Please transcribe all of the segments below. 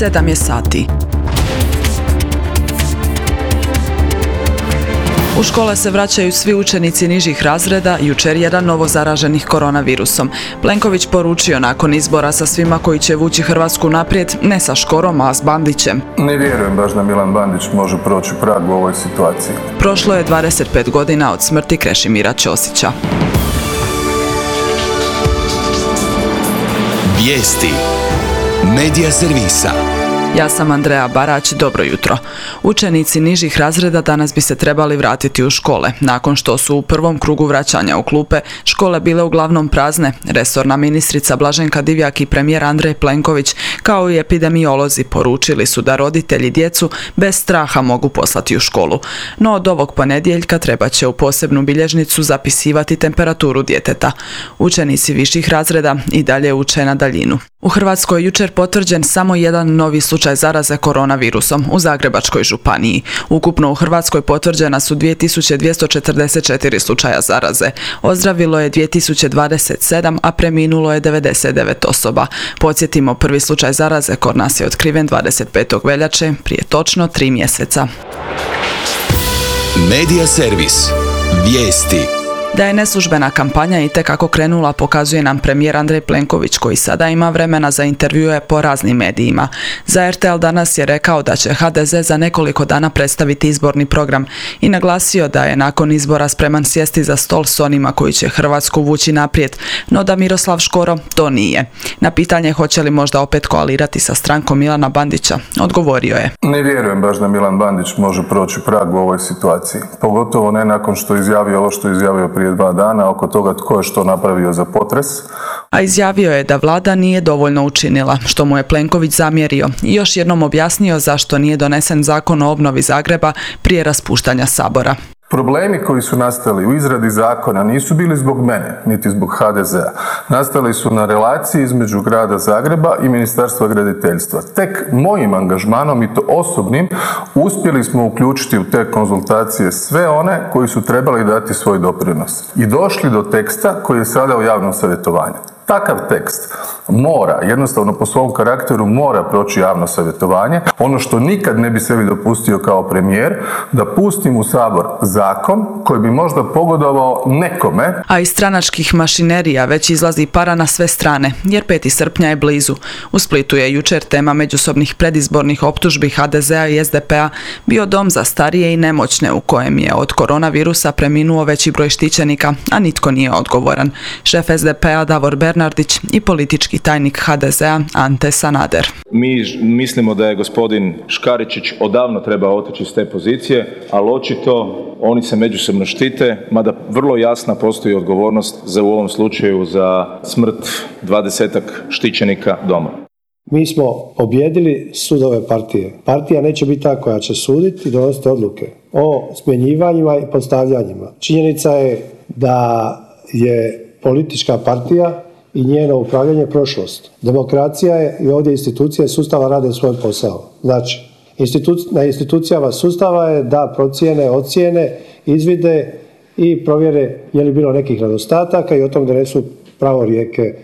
7 je sati. U škole se vraćaju svi učenici nižih razreda, jučer jedan novo zaraženih koronavirusom. Plenković poručio nakon izbora sa svima koji će vući Hrvatsku naprijed, ne sa Škorom, a s Bandićem. Ne vjerujem baš da Milan Bandić može proći prag u ovoj situaciji. Prošlo je 25 godina od smrti Krešimira Ćosića. Vijesti Medija servisa. Ja sam Andreja Barać, dobro jutro. Učenici nižih razreda danas bi se trebali vratiti u škole. Nakon što su u prvom krugu vraćanja u klupe škole bile uglavnom prazne, resorna ministrica Blaženka Divjak i premijer Andrej Plenković kao i epidemiolozi poručili su da roditelji djecu bez straha mogu poslati u školu. No od ovog ponedjeljka treba će u posebnu bilježnicu zapisivati temperaturu djeteta. Učenici viših razreda i dalje uče na daljinu. U Hrvatskoj je jučer potvrđen samo jedan novi slučaj zaraze koronavirusom u Zagrebačkoj županiji. Ukupno u Hrvatskoj potvrđena su 2244 slučaja zaraze. Ozdravilo je 2027, a preminulo je 99 osoba. Podsjetimo, prvi slučaj zaraze kod nas je otkriven 25. veljače, prije točno 3 mjeseca. Medija servis. Vijesti. Da je neslužbena kampanja itekako krenula pokazuje nam premijer Andrej Plenković koji sada ima vremena za intervjue po raznim medijima. Za RTL danas je rekao da će HDZ za nekoliko dana predstaviti izborni program i naglasio da je nakon izbora spreman sjesti za stol s onima koji će Hrvatsku vući naprijed, no da Miroslav Škoro to nije. Na pitanje hoće li možda opet koalirati sa strankom Milana Bandića, odgovorio je: Ne vjerujem baš da Milan Bandić može proći prag u ovoj situaciji, pogotovo ne nakon što je izjavio ovo što je izjavio prije 2 dana oko toga tko je što napravio za potres. A izjavio je da vlada nije dovoljno učinila, što mu je Plenković zamjerio i još jednom objasnio zašto nije donesen zakon o obnovi Zagreba prije raspuštanja Sabora. Problemi koji su nastali u izradi zakona nisu bili zbog mene, niti zbog HDZ-a. Nastali su na relaciji između grada Zagreba i Ministarstva graditeljstva. Tek mojim angažmanom, i to osobnim, uspjeli smo uključiti u te konzultacije sve one koji su trebali dati svoj doprinos. I došli do teksta koji je sada u javnom savjetovanju. Takav tekst mora, jednostavno po svom karakteru mora proći javno savjetovanje. Ono što nikad ne bi sebi dopustio kao premijer, da pustim u Sabor zakon koji bi možda pogodovao nekome. A iz stranačkih mašinerija već izlazi para na sve strane, jer 5. srpnja je blizu. U Splitu je jučer tema međusobnih predizbornih optužbi HDZ-a i SDP-a bio dom za starije i nemoćne u kojem je od koronavirusa preminuo veći broj štićenika, a nitko nije odgovoran. Šef SDP-a Davor Bernardić i politički tajnik HDZ-a Ante Sanader. Mi mislimo da je gospodin Škaričić odavno trebao otići s te pozicije, ali očito oni se međusobno štite, mada vrlo jasna postoji odgovornost za u ovom slučaju za smrt 20-ak štićenika doma. Mi smo pobijedili sudove partije. Partija neće biti ta koja će suditi i donositi odluke o smjenjivanjima i postavljanjima. Činjenica je da je politička partija i njeno upravljanje prošlost. Demokracija je i ovdje institucije sustava rade svoj posao. Znači, na institucijama sustava je da procijene, ocijene, izvide i provjere je li bilo nekih nedostataka i o tom donesu pravorijeke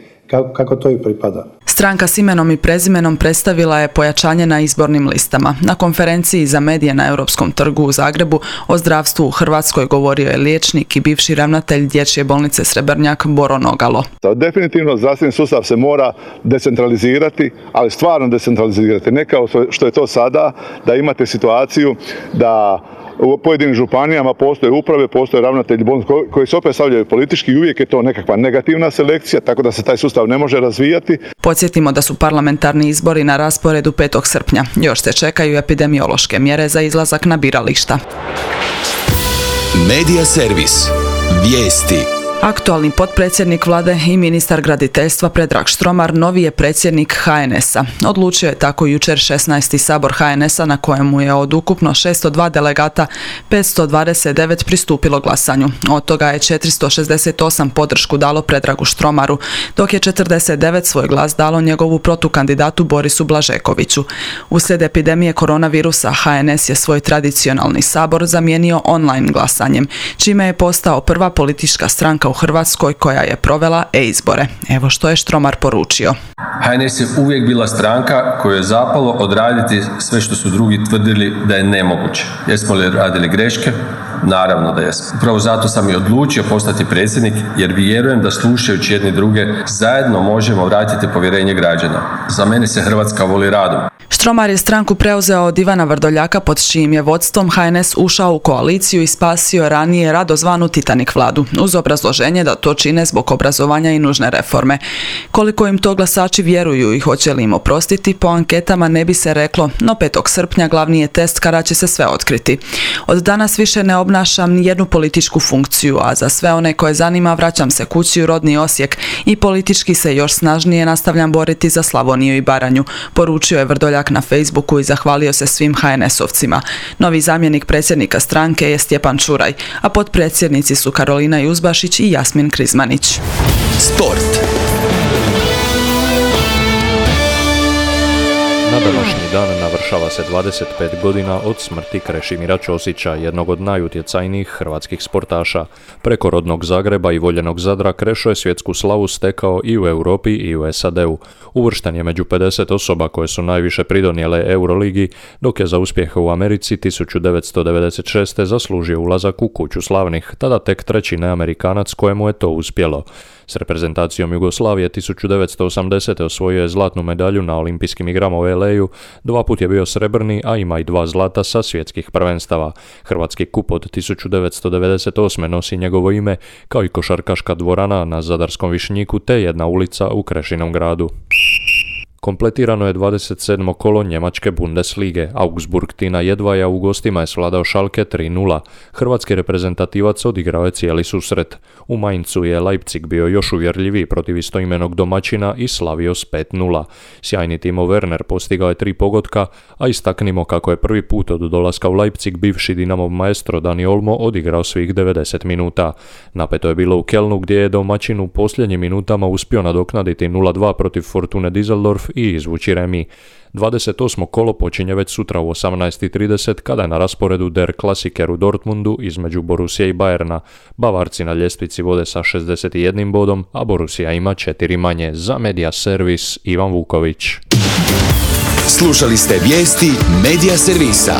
kako to i pripada. Stranka s imenom i prezimenom predstavila je pojačanje na izbornim listama. Na konferenciji za medije na Europskom trgu u Zagrebu o zdravstvu u Hrvatskoj govorio je liječnik i bivši ravnatelj Dječje bolnice Srebrnjak Boro Nogalo. Definitivno zdravstveni sustav se mora decentralizirati, ali stvarno decentralizirati. Ne kao što je to sada, da imate situaciju da u pojedinim županijama postoje uprave, postoje ravnatelji bolnica koji se opet stavljaju politički i uvijek je to nekakva negativna selekcija, tako da se taj sustav ne može razvijati. Podsjetimo da su parlamentarni izbori na rasporedu 5. srpnja. Još se čekaju epidemiološke mjere za izlazak na birališta. Medija servis. Vijesti. Aktualni potpredsjednik vlade i ministar graditeljstva Predrag Štromar novi je predsjednik HNS-a. Odlučio je tako jučer 16. sabor HNS-a na kojemu je od ukupno 602 delegata 529 pristupilo glasanju. Od toga je 468 podršku dalo Predragu Štromaru, dok je 49 svoj glas dalo njegovu protukandidatu Borisu Blažekoviću. Uslijed epidemije koronavirusa HNS je svoj tradicionalni sabor zamijenio online glasanjem, čime je postao prva politička stranka u Hrvatskoj koja je provela e-izbore. Evo što je Štromar poručio. HNS je uvijek bila stranka koju je zapalo odraditi sve što su drugi tvrdili da je nemoguće. Jesmo li radili greške? Naravno da jesmo. Upravo zato sam i odlučio postati predsjednik, jer vjerujem da slušajući jedni druge zajedno možemo vratiti povjerenje građana. Za mene se Hrvatska voli radom. Štromar je stranku preuzeo od Ivana Vrdoljaka pod čijim je vodstvom HNS ušao u koaliciju i spasio ranije rado zvanu Titanic vladu, uz obrazloženje da to čine zbog obrazovanja i nužne reforme. Koliko im to glasači vjeruju i hoće li im oprostiti, po anketama ne bi se reklo, no 5. srpnja glavni je test kada će se sve otkriti. Od danas više ne obnašam ni jednu političku funkciju, a za sve one koje zanima vraćam se kući u rodni Osijek i politički se još snažnije nastavljam boriti za Slavoniju i Baranju, poručio je Vrdoljak na Facebooku i zahvalio se svim HNS-ovcima. Novi zamjenik predsjednika stranke je Stjepan Čuraj, a potpredsjednici su Karolina Juzbašić i Jasmin Krizmanić. Sport. Na današnji dan navršava se 25 godina od smrti Krešimira Ćosića, jednog od najutjecajnijih hrvatskih sportaša. Preko rodnog Zagreba i voljenog Zadra Krešo je svjetsku slavu stekao i u Europi i u SAD-u. Uvršten je među 50 osoba koje su najviše pridonijele Euroligi, dok je za uspjehe u Americi 1996. zaslužio ulazak u Kuću slavnih, tada tek treći neamerikanac kojemu je to uspjelo. S reprezentacijom Jugoslavije 1980. osvojio je zlatnu medalju na olimpijskim igrama u LA-u, 2 puta je bio srebrni, a ima i 2 zlata sa svjetskih prvenstava. Hrvatski kup od 1998. nosi njegovo ime, kao i košarkaška dvorana na Zadarskom Višnjiku te jedna ulica u Krešinom gradu. Kompletirano je 27. kolo njemačke Bundeslige. Augsburg Tina Jedvaja u gostima je svladao Schalke 3:0. Hrvatski reprezentativac odigrao je cijeli susret. U Mainzu je Leipzig bio još uvjerljiviji protiv istoimenog domaćina i slavio s 5:0. Sjajni Timo Werner postigao je 3 pogotka, a istaknimo kako je prvi put od dolaska u Leipzig bivši Dinamov maestro Dani Olmo odigrao svih 90 minuta. Napeto je bilo u Kelnu gdje je domaćin u posljednjim minutama uspio nadoknaditi 0:2 protiv Fortune Düsseldorf i izvući remi. 28. kolo počinje već sutra u 18:30 kada je na rasporedu Der Klassiker u Dortmundu između Borussije i Bayerna. Bavarci na ljestvici vode sa 61 bodom, a Borussia ima 4 manje. Za Media Servis Ivan Vuković. Slušali ste vijesti Media Servisa.